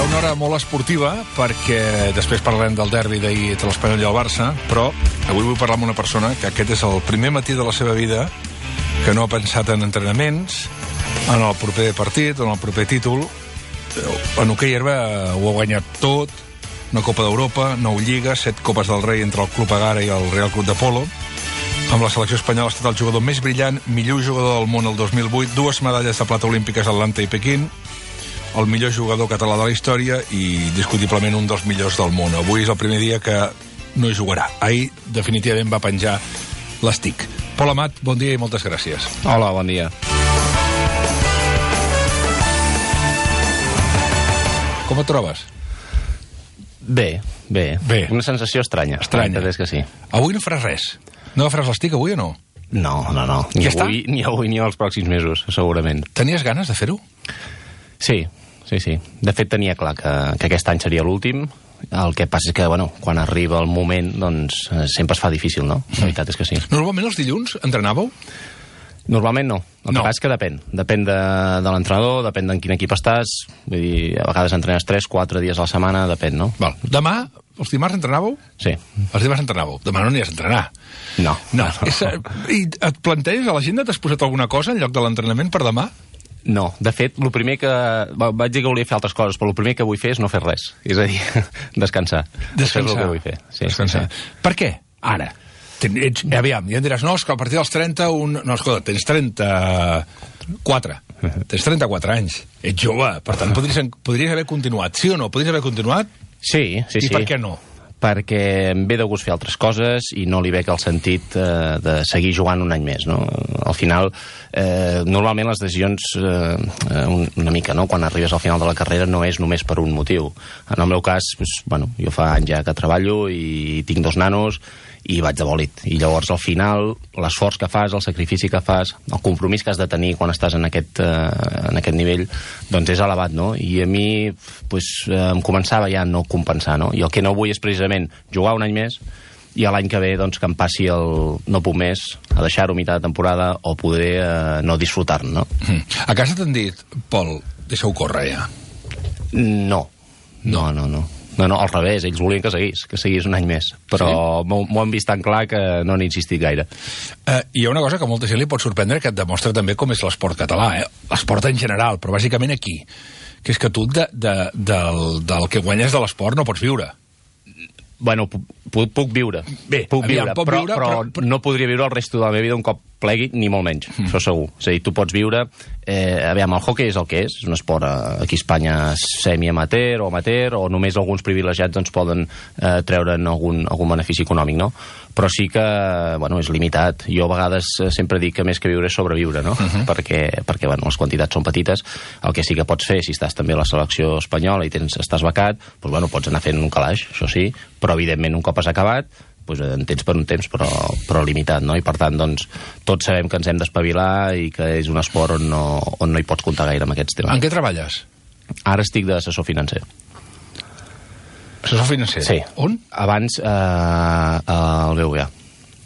una hora molt esportiva, perquè després parlarem del derbi d'ahir entre l'Espanyol i el Barça, però avui vull parlar amb una persona que aquest és el primer matí de la seva vida que no ha pensat en entrenaments, en el proper partit, en el proper títol. En hoquei herba ho ha guanyat tot, una Copa d'Europa, 9 lligues, 7 Copes del Rei entre el Club Agara i el Real Club de Polo. Amb la selecció espanyola ha estat el jugador més brillant, millor jugador del món el 2008, 2 medalles de plata olímpiques a Atlanta i Pequín, el millor jugador català de la història i discutiblement un dels millors del món. Avui és el primer dia que no hi jugarà. Ahir definitivament va penjar l'estic. Pol Amat, bon dia i moltes gràcies. Hola, bon dia. Com et trobes? Bé. Una sensació estranya. Estranya. És que sí. Avui no faràs res? No agafaràs l'estic avui o no? No. Ni avui ni els pròxims mesos, segurament. Tenies ganes de fer-ho? Sí. De fet, tenia clar que aquest any seria l'últim. El que passa és que, quan arriba el moment, doncs sempre es fa difícil, no? La veritat és que sí. Normalment els dilluns entrenàveu? Normalment no. El que passa és que depèn. Depèn de l'entrenador, depèn d'en quin equip estàs. Vull dir, a vegades entrenes 3-4 dies a la setmana, depèn, no? Val. Demà, els dimarts entrenàveu? Sí. Els dimarts entrenàveu. Demà no anies a entrenar. No. I et planteges, a l'agenda t'has posat alguna cosa en lloc de l'entrenament per demà? No, de fet, el primer que... Vaig dir que volia fer altres coses, però el primer que vull fer és no fer res. És a dir, descansar. Això és el que vull fer. Sí, descansar. Sí. Per què? Ara. Aviam, ja em diràs, no, és que a partir dels 30... No, escolta, tens 34. Tens 34 anys. Ets jove, per tant, podries haver continuat. Sí o no? Podries haver continuat? Sí. I per què no? Perquè em ve de gust fer altres coses i no li veig el sentit de seguir jugant un any més, no? Al final, normalment les decisions, una mica, no?, quan arribes al final de la carrera no és només per un motiu. En el meu cas, jo fa anys ja que treballo i tinc 2 nanos i vaig de bòlit. I llavors, al final, l'esforç que fas, el sacrifici que fas, el compromís que has de tenir quan estàs en aquest nivell, doncs és elevat, no? I a mi, em començava ja a no compensar, no? I el que no vull és precisament jugar un any més i l'any que ve, doncs, que em passi el no puc més, a deixar-ho a mitjà de temporada o poder no disfrutar-ne, no? A casa t'han dit, Pol, deixa-ho córrer ja. No, al revés, ells volien que seguís un any més, però sí? M'ho han vist tan clar que no n'he insistit gaire. Hi ha una cosa que a molta gent li pot sorprendre, que et demostra també com és l'esport català, l'esport en general, però bàsicament aquí, que és que tu del que guanyes de l'esport no pots viure. Puc viure. Puc viure, però no podria viure el resto de la meva vida un cop plegui, ni molt menys, això segur. És a dir, tu pots viure... el hoquei és el que és un esport aquí a Espanya semi-amateur o amateur, o només alguns privilegiats doncs poden treure'n algun benefici econòmic, no? Però sí que, és limitat. Jo a vegades sempre dic que més que viure és sobreviure, no? Perquè les quantitats són petites. El que sí que pots fer, si estàs també a la selecció espanyola i estàs becat, pots anar fent un calaix, això sí, però evidentment un cop has acabat, en tens per un temps, però limitat, no? I per tant, doncs, tots sabem que ens hem d'espavilar i que és un esport on no hi pots comptar gaire amb aquests temes. En què treballes? Ara estic d'assessor financer. Assessor financer? Sí. On? Abans al BBVA.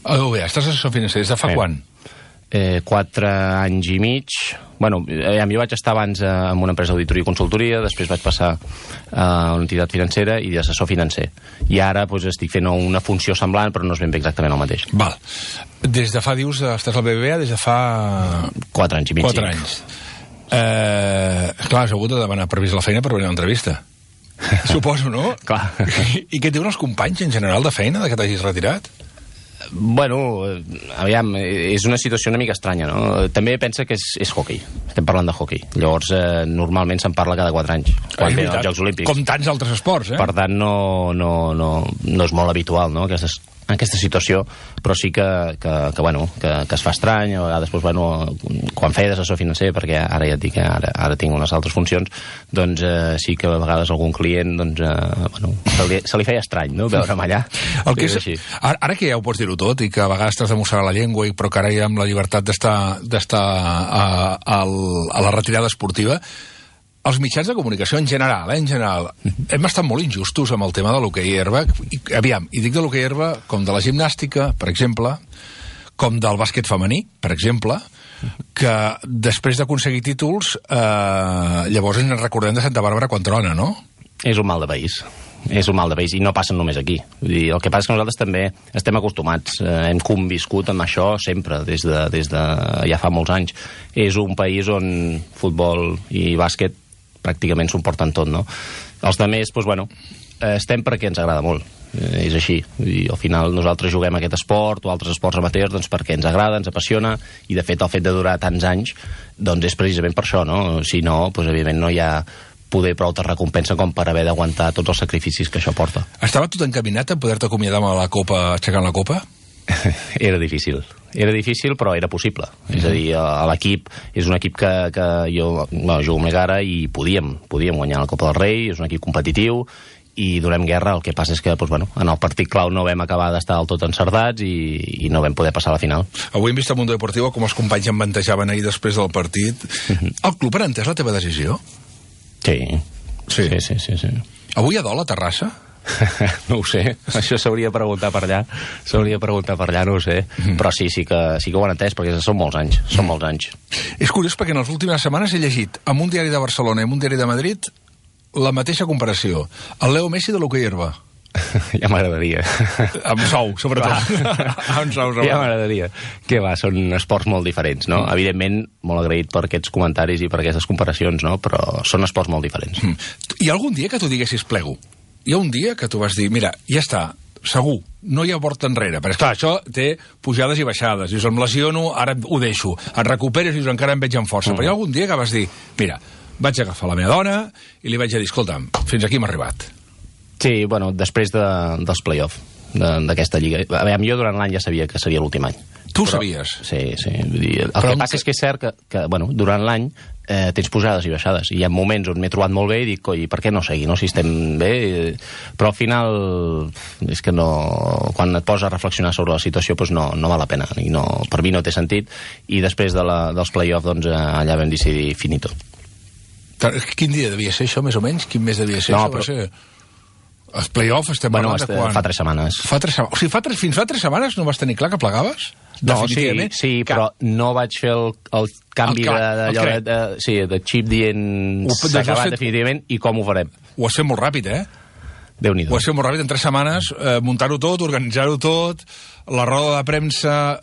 Al BBVA, estàs assessor financer des de fa quan? 4 anys i mig. Jo vaig estar abans en una empresa d'auditoria i consultoria, després vaig passar a una entitat financera i d'assessor financer. I ara estic fent una funció semblant, però no és ben bé exactament el mateix. Val. Des de fa, dius, estàs al BBVA des de fa... 4 anys i mig. 4 anys. Clar, has hagut de demanar permís a la feina per venir a l'entrevista. Suposo, no? Clar. I què et diuen els companys en general de feina, de que t'hagis retirat? Aviam, és una situació una mica estranya, no? També pensa que és hoquei. Estem parlant de hoquei. Llavors, normalment se'n parla cada 4 anys, quan venen els Jocs Olímpics. Com tants altres esports, Per tant, no és molt habitual, no?, aquesta situació, però sí que es fa estrany. A vegades, quan feia d'assessor financer, perquè ara ja et dic que ara tinc unes altres funcions, doncs sí que a vegades algun client se li feia estrany, no?, veure'm allà. Ara que ja ho pots dir-ho tot i que a vegades t'has de mossegar la llengua, però que ara hi ha la llibertat d'estar a la retirada esportiva, els mitjans de comunicació en general, hem estat molt injustos amb el tema de l'hoquei herba. I dic de l'hoquei herba com de la gimnàstica, per exemple, com del bàsquet femení, per exemple, que després d'aconseguir títols, llavors ens recordem de Santa Bàrbara quan trona, no? És un mal de país. És un mal de país i no passen només aquí. Vull dir, el que passa és que nosaltres també estem acostumats, hem conviscut amb això sempre, des de ja fa molts anys. És un país on futbol i bàsquet pràcticament s'ho porten tot, no? Els altres, doncs, bueno, estem perquè ens agrada molt. És així. Vull dir, al final nosaltres juguem aquest esport o altres esports amateurs doncs, perquè ens agrada, ens apassiona, i de fet el fet de durar tants anys doncs és precisament per això, no? Si no, doncs, evidentment no hi ha poder prou de recompensa com per haver d'aguantar tots els sacrificis que això porta. Estava tot encaminat a poder-te acomiadar amb la Copa, aixecant la Copa? Era difícil, però era possible. És a dir, l'equip és un equip que jo jugo amb l'Egara i podíem guanyar la Copa del Rei, és un equip competitiu i donem guerra. El que passa és que doncs, bueno, en el partit clau no vam acabar d'estar del tot encertats i no vam poder passar a la final. Avui hem vist a Mundo Deportivo com els companys embantejaven ahir després del partit. El club ha entès la teva decisió? Sí. Avui hi ha dol a Terrassa? No ho sé, això s'hauria de preguntar per allà, no ho sé, però sí que ho han entès, perquè són molts anys, És curiós perquè en les últimes setmanes he llegit en un diari de Barcelona i en un diari de Madrid la mateixa comparació, el Leo Messi de l'hoquei herba. Ja m'agradaria. Amb sou, sobretot. Amb sou. Ja m'agradaria. Què va, són esports molt diferents, no? Evidentment, molt agraït per aquests comentaris i per aquestes comparacions, no? Però són esports molt diferents. Hi ha algun dia que tu diguessis plego? Hi ha un dia que tu vas dir, mira, ja està, segur, no hi ha porta enrere. Però, esclar, això té pujades i baixades. Dius, em lesiono, ara ho deixo. Et recuperes i dius, encara em veig amb força. Però hi ha algun dia que vas dir, mira, vaig agafar la meva dona i li vaig dir, escolta'm, fins aquí hem arribat. Sí, bueno, després dels play-off d'aquesta lliga. A veure, jo durant l'any ja sabia que seria l'últim any. Tu ho sabies? Sí. Vull dir, el que passa és que és cert que bueno, durant l'any tens pujades i baixades. I hi ha moments on m'he trobat molt bé i dic, coi, per què no seguir, no? Si estem bé... Però al final és que no... Quan et poses a reflexionar sobre la situació, doncs no val la pena. I no, per mi no té sentit. I després dels play-off, doncs, allà vam decidir finito. Quin dia devia ser això, més o menys? Quin mes devia ser això? Va ser... Els play-off estem parlant de quan? Fa 3 setmanes. O sigui, fins fa 3 setmanes no vas tenir clar que plegaves? No, sí, però no vaig fer el canvi de xip dient s'ha acabat definitivament i com ho farem. Ho has fet molt ràpid, Déu-n'hi-do. Ho has fet molt ràpid, en 3 setmanes, muntar-ho tot, organitzar-ho tot, la roda de premsa,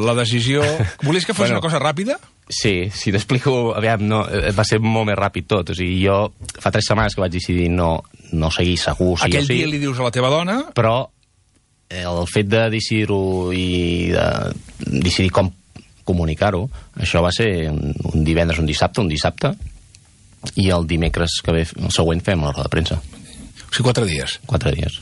la decisió... Volies que fos una cosa ràpida? Sí, si t'explico, aviam, no, va ser molt més ràpid tot. O sigui, jo fa 3 setmanes que vaig decidir no seguir segur. Aquell dia li dius a la teva dona... Però el fet de decidir-ho i de decidir com comunicar-ho, això va ser un divendres, un dissabte, i el dimecres que ve, el següent, fem la roda de premsa. O sigui, 4 dies. 4 dies.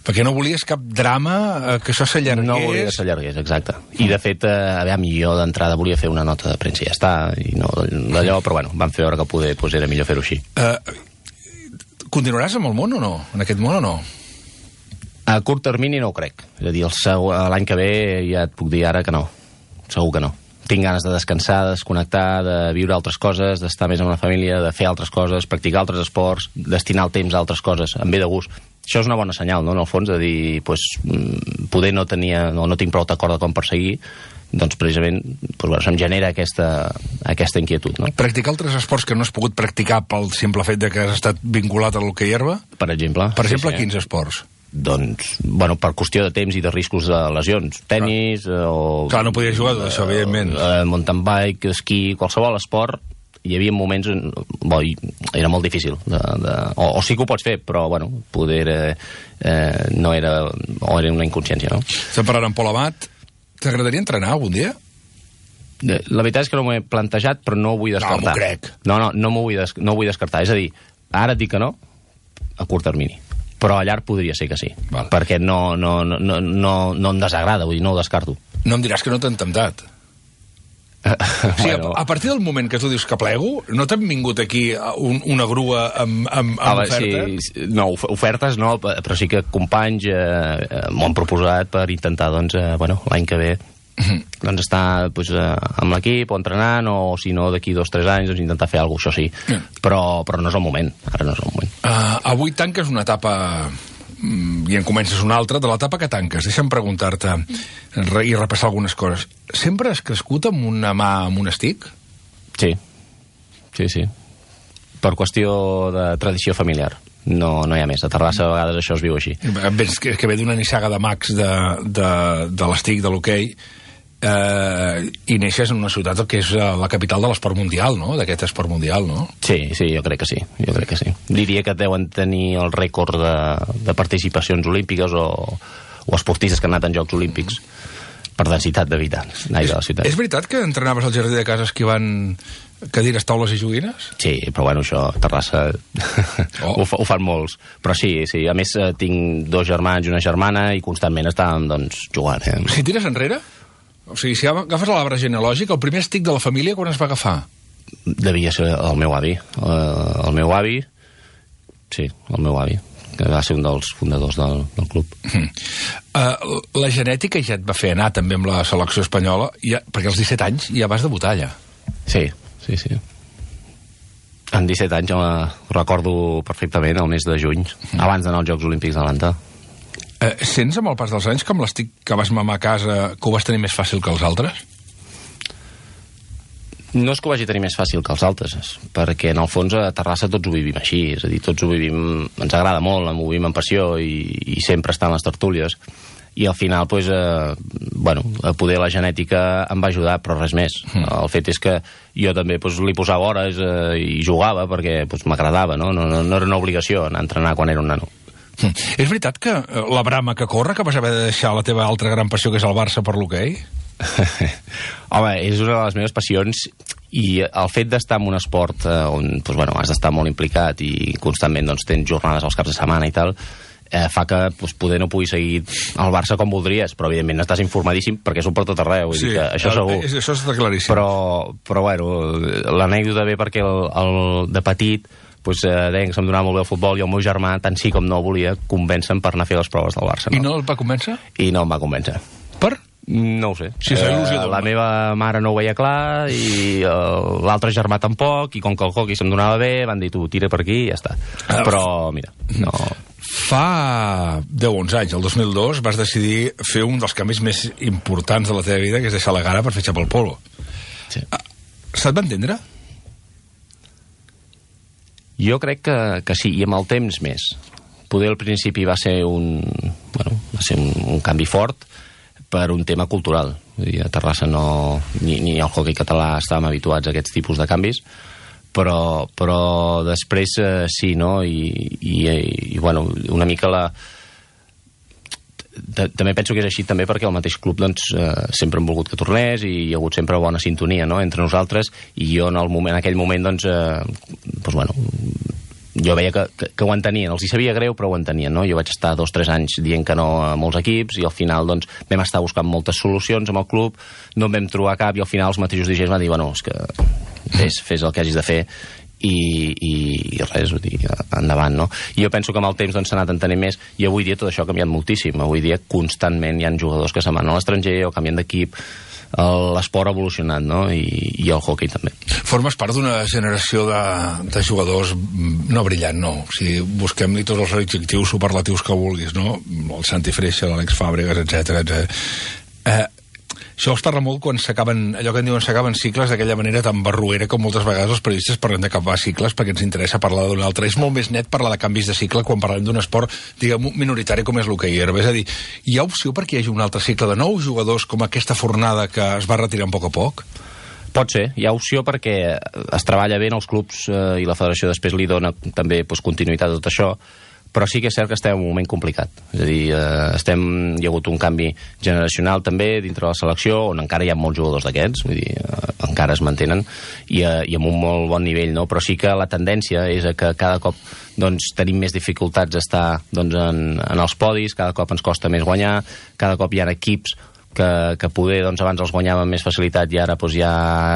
Perquè no volies cap drama, que això s'allargués... No volia que s'allargués, exacte. I, de fet, jo d'entrada volia fer una nota de premsa i ja està, i no d'allò, però bueno, vam fer veure que poder, doncs era millor fer-ho així. Continuaràs amb el món o no? En aquest món o no? A curt termini no ho crec. És a dir, l'any que ve ja et puc dir ara que no. Segur que no. Tinc ganes de descansar, de desconnectar, de viure altres coses, d'estar més amb la família, de fer altres coses, practicar altres esports, destinar el temps a altres coses, em ve de gust. Això és una bona senyal, no?, en el fons, de dir, poder no tinc prou d'acord de com perseguir, doncs precisament se'm genera aquesta inquietud, no? Practicar altres esports que no has pogut practicar pel simple fet de que has estat vinculat a l'hoquei herba? Per exemple. Per exemple, quins esports? Doncs, per qüestió de temps i de riscos de lesions. Tenis o... Clar, no podies jugar tot això, evidentment. Mountain bike, esquí, qualsevol esport. Hi havia moments on era molt difícil. O sí que ho pots fer, però, poder no era... O era una inconsciència, no? Estem parlant amb Pol Amat. T'agradaria entrenar algun dia? La veritat és que no m'ho he plantejat, però no ho vull descartar. No, m'ho crec. No m'ho vull descartar. És a dir, ara et dic que no, a curt termini. Però a llarg podria ser que sí. Val. Perquè no em desagrada, vull dir, no ho descarto. No em diràs que no t'han temptat. O sigui, a partir del moment que tu dius que plego, no t'han vingut aquí una grua amb ofertes? Sí, no, ofertes no, però sí que companys m'ho han proposat per intentar, l'any que ve estar amb l'equip o entrenant, o si no d'aquí 2 o 3 anys intentar fer alguna cosa, això sí. Però no és el moment, ara no és el moment. Avui tanques una etapa i en comences una altra, de l'etapa que tanques. Deixa'm preguntar-te i repassar algunes coses. Sempre has crescut amb una mà amb un estic? Sí. Per qüestió de tradició familiar. No hi ha més. A Terrassa a vegades això es viu així. És que ve d'una nissaga de mags de l'estic, de l'hoquei, i neixes en una ciutat que és la capital de l'esport mundial, no? D'aquest esport mundial, no? Sí, jo crec que sí. Diria que deuen tenir el rècord de participacions olímpiques o esportistes que han anat en Jocs Olímpics per densitat d'habitants de la ciutat. És veritat que entrenaves al jardí de casa esquivant cadires, taules i joguines? Sí, però bueno, això a Terrassa ho fan molts. Però sí, a més tinc 2 germans i una germana i constantment estàvem, doncs, jugant. Si tires enrere? O sigui, si agafes l'arbre genealògic, el primer estic de la família quan es va agafar? Devia ser el meu avi. El meu avi, que va ser un dels fundadors del club. La genètica ja et va fer anar també amb la selecció espanyola, perquè als 17 anys ja vas debutar allà. Sí. En 17 anys jo recordo perfectament el mes de juny, abans d'anar als Jocs Olímpics d'Atlanta. Sents amb el pas dels anys que amb l'estic que vas mamar a casa que ho vas tenir més fàcil que els altres? No és que ho vagi tenir més fàcil que els altres, perquè en el fons a Terrassa tots ho vivim així, és a dir, tots ho vivim, ens agrada molt, ho vivim amb passió i sempre estan les tertúlies. I al final, doncs, poder la genètica em va ajudar, però res més. El fet és que jo també li posava hores i jugava perquè m'agradava, no era una obligació anar a entrenar quan era un nano. És veritat que la brama que corre, que vas haver de deixar la teva altra gran passió, que és el Barça, per l'hoquei? Home, és una de les meves passions, i el fet d'estar en un esport on has d'estar molt implicat i constantment tens jornades als caps de setmana i tal, fa que poder no puguis seguir el Barça com voldries, però evidentment estàs informadíssim perquè són per tot arreu, sí, això segur. Això està claríssim. Però l'anècdota ve perquè de petit deien que se'm donava molt bé el futbol i el meu germà, tant sí com no volia, convèncer per anar a fer les proves del Barça. I no el va convèncer? I no em va convèncer. Per? No ho sé. Sí, la meva mare no ho veia clar i l'altre germà tampoc, i com que el hockey se'm donava bé, van dir, tu, tira per aquí i ja està. Però, mira, no... Fa 10-11 anys, el 2002, vas decidir fer un dels canvis més importants de la teva vida, que és deixar la gara per fitxar pel polo. Sí. Se't va entendre? Jo crec que sí, i amb el temps més. Poder al principi va ser un canvi fort per un tema cultural. Vull dir, a Terrassa ni al hoquei català estàvem habituats a aquests tipus de canvis, però després sí, no? I una mica també penso que és així també perquè el mateix club sempre hem volgut que tornés i hi ha hagut sempre bona sintonia, no?, entre nosaltres, i jo en aquell moment jo veia que ho entenien, els hi sabia greu però ho entenien, no? Jo vaig estar 2-3 anys dient que no a molts equips i al final vam estar buscant moltes solucions amb el club, no en vam trobar cap i al final els mateixos dirigents van dir, és que fes el que hagis de fer i res, ho dic, endavant, no? I jo penso que amb el temps s'ha anat entenent més, i avui dia tot això ha canviat moltíssim. Avui dia constantment hi ha jugadors que se'n van a l'estranger o canvien d'equip, l'esport ha evolucionat, no? I el hoquei també. Formes part d'una generació de jugadors no brillant, no? O sigui, busquem-li tots els adjectius superlatius que vulguis, no? El Santi Freixa, l'Àlex Fàbregas, etc. Això es parla molt quan s'acaben, allò que en diuen s'acaben cicles d'aquella manera tan barruera com moltes vegades els periodistes parlen d'acabar cicles perquè ens interessa parlar d'un altre. És molt més net parlar de canvis de cicle quan parlem d'un esport, diguem, minoritari com és l'hoquei herba. És a dir, hi ha opció perquè hi hagi un altre cicle de nous jugadors com aquesta fornada que es va retirant a poc? Pot ser, hi ha opció perquè es treballa bé en els clubs i la federació després li dona també continuïtat a tot això, però sí que és cert que estem en un moment complicat. És a dir, hi ha hagut un canvi generacional també dintre de la selecció, on encara hi ha molts jugadors d'aquests, vull dir, encara es mantenen, i amb un molt bon nivell, no? Però sí que la tendència és que cada cop tenim més dificultats d'estar en els podis, cada cop ens costa més guanyar, cada cop hi ha equips que poder abans els guanyàvem amb més facilitat i ara ja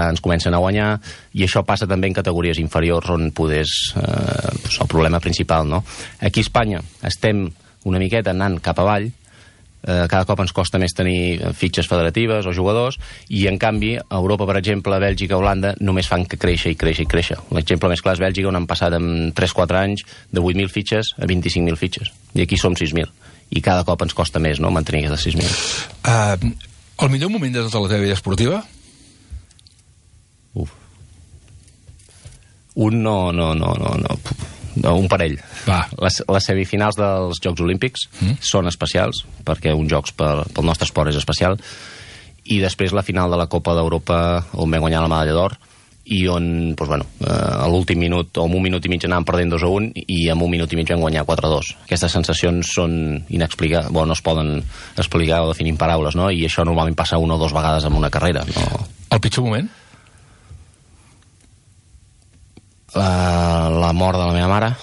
ens comencen a guanyar, i això passa també en categories inferiors on poder és el problema principal, no? Aquí a Espanya estem una miqueta anant cap avall, cada cop ens costa més tenir fitxes federatives o jugadors, i en canvi a Europa, per exemple, Bèlgica, Holanda només fan que créixer i créixer i créixer. L'exemple més clar és Bèlgica, on han passat en 3-4 anys de 8.000 fitxes a 25.000 fitxes, i aquí som 6.000. I cada cop ens costa més, no?, mantenir aquestes 6.000. El millor moment de tota la teva vida esportiva? un parell. Les semifinals dels Jocs Olímpics són especials, perquè un Jocs pel nostre esport és especial, i després la final de la Copa d'Europa, on vam guanyar la medalla d'or, i on, a l'últim minut, o en un minut i mig anàvem perdent 2-1, i en un minut i mig vam guanyar 4-2. Aquestes sensacions són inexplicables, no es poden explicar o definir en paraules, no? I això normalment passa una o dues vegades en una carrera. No? El pitjor moment? La mort de la meva mare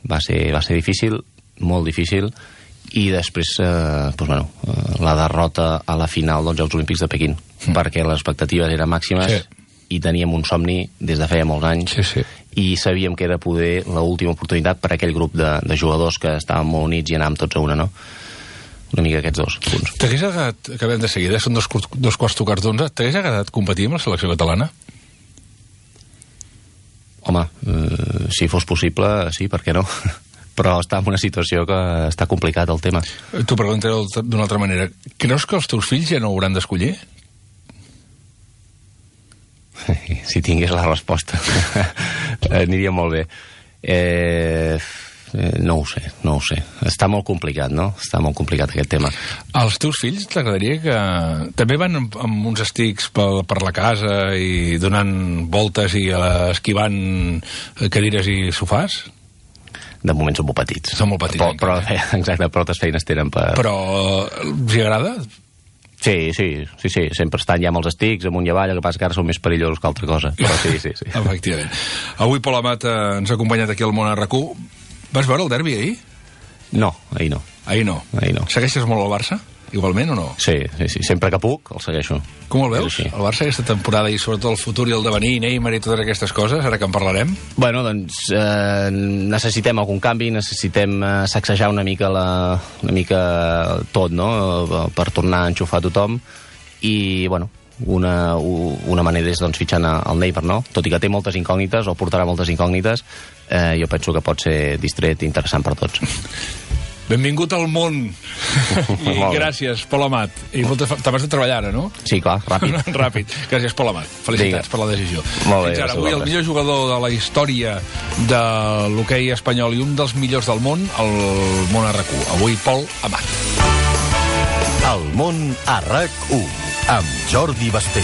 va ser difícil, molt difícil, i després la derrota a la final dels Jocs Olímpics de Pequín, perquè les expectatives eren màximes i teníem un somni des de feia molts anys i sabíem que era poder l'última oportunitat per a aquell grup de jugadors que estàvem molt units i anàvem tots a una, no? Una mica aquests dos punts. T'hagués agradat, acabem de seguida, són dos quarts tocats d'11, t'hagués agradat competir amb la selecció catalana? Home, si fos possible, sí, per què no? Però està en una situació que està complicat el tema. T'ho preguntaré d'una altra manera. Creus que els teus fills ja no hauran d'escollir? Si tingués la resposta aniria molt bé. No ho sé. Està molt complicat, no? Està molt complicat aquest tema. Els teus fills t'agradaria que... també van amb uns estics per la casa i donant voltes i esquivant cadires i sofàs? De moment són molt petits. Són molt petits. Exacte, però altres feines tenen per... Però els agrada? Sí, sempre estan ja amb els estics, amunt i avall, el que passa que ara són més perillosos que altra cosa, però sí. Efectivament. Avui Pol Amat ens ha acompanyat aquí al Món RQ. Vas veure el derbi ahir? No, ahir no. Ahir no. Segueixes molt el Barça, igualment, o no? Sí. Sempre que puc el segueixo. Com el veus, el Barça, aquesta temporada, i sobretot el futur i el devenir, Neymar i totes aquestes coses, ara que en parlarem? Bueno, doncs necessitem algun canvi, necessitem sacsejar una mica tot, no?, per tornar a enxufar tothom, i, una manera és fitxant el Neymar, no? Tot i que té moltes incògnites, o portarà moltes incògnites, jo penso que pot ser distret i interessant per tots. Benvingut al món. I gràcies, Pol Amat. I t'abans de treballar ara, no? Sí, clar, ràpid. Ràpid. Gràcies, Pol Amat. Felicitats per la decisió. Molt bé. Fins ara, avui el millor jugador de la història de l'hoquei espanyol i un dels millors del món, el Món RQ. Avui, Pol Amat. El Món RQ, amb Jordi Basté.